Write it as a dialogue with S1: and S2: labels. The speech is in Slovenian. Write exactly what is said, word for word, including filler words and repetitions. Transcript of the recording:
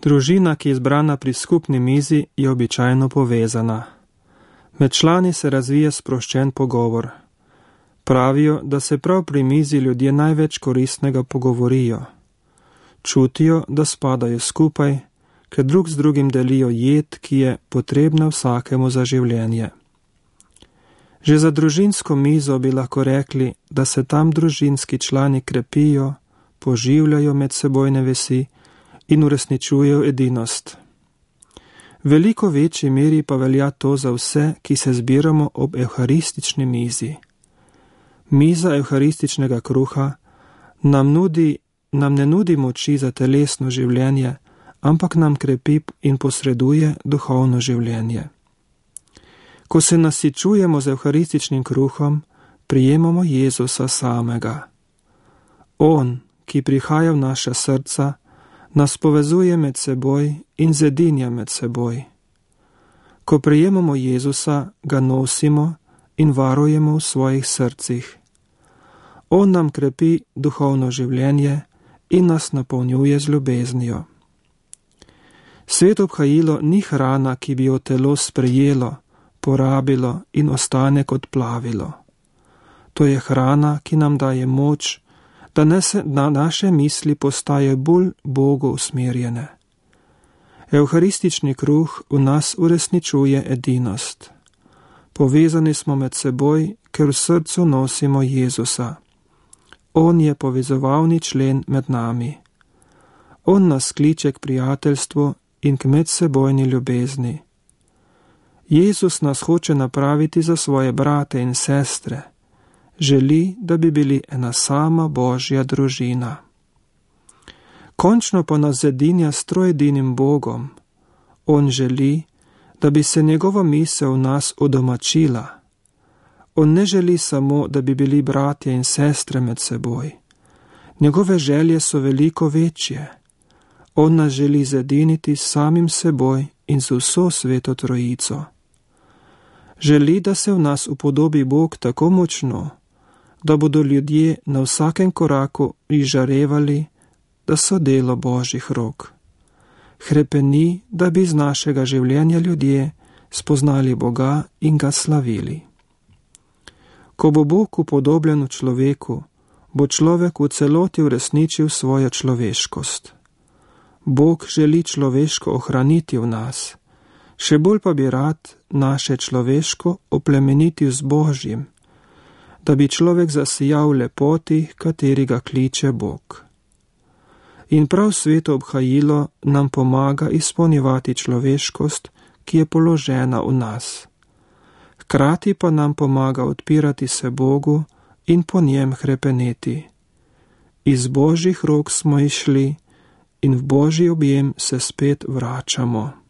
S1: Družina, ki je zbrana pri skupni mizi, je običajno povezana. Med člani se razvije sproščen pogovor. Pravijo, da se prav pri mizi ljudje največ koristnega pogovorijo. Čutijo, da spadajo skupaj, ker drug z drugim delijo jed, ki je potrebna vsakemu za življenje. Že za družinsko mizo bi lahko rekli, da se tam družinski člani krepijo, poživljajo medsebojne vezi in uresničujejo edinost. V veliko večji meri pa velja to za vse, ki se zbiramo ob evharistični mizi. Miza evharističnega kruha nam, nudi, nam ne nudi moči za telesno življenje, ampak nam krepi in posreduje duhovno življenje. Ko se nasičujemo z evharističnim kruhom, prijemamo Jezusa samega. On, ki prihaja v naša srca, nas povezuje med seboj in zedinja med seboj. Ko prijemamo Jezusa, ga nosimo in varujemo v svojih srcih. On nam krepi duhovno življenje in nas napolnjuje z ljubeznijo. Sveto obhajilo ni hrana, ki bi jo telo sprejelo, porabilo in ostane kot plavilo. To je hrana, ki nam daje moč, da na naše misli postaje bolj Bogu usmerjene. Evharistični kruh v nas uresničuje edinost. Povezani smo med seboj, ker v srcu nosimo Jezusa. On je povezovalni člen med nami. On nas kliče k prijateljstvu in k medsebojni ljubezni. Jezus nas hoče napraviti za svoje brate in sestre. Želi, da bi bili ena sama Božja družina. Končno pa nas zedinja s troedinim Bogom. On želi, da bi se njegova misel v nas udomačila. On ne želi samo, da bi bili bratje in sestre med seboj. Njegove želje so veliko večje. On nas želi zediniti s samim seboj in z vso sveto trojico. Želi, da se v nas upodobi Bog tako močno, da bodo ljudje na vsakem koraku izžarevali, da so delo Božjih rok. Hrepeni, da bi iz našega življenja ljudje spoznali Boga in ga slavili. Ko bo Bog upodobljen v človeku, bo človek v celoti uresničil svojo človeškost. Bog želi človeško ohraniti v nas, še bolj pa bi rad naše človeško oplemenitil z Božjim, da bi človek zasijal v lepoti, kateri ga kliče Bog. In prav sveto obhajilo nam pomaga izpolnjevati človeškost, ki je položena v nas. Hkrati pa nam pomaga odpirati se Bogu in po njem hrepeneti. Iz Božjih rok smo išli in v Božji objem se spet vračamo.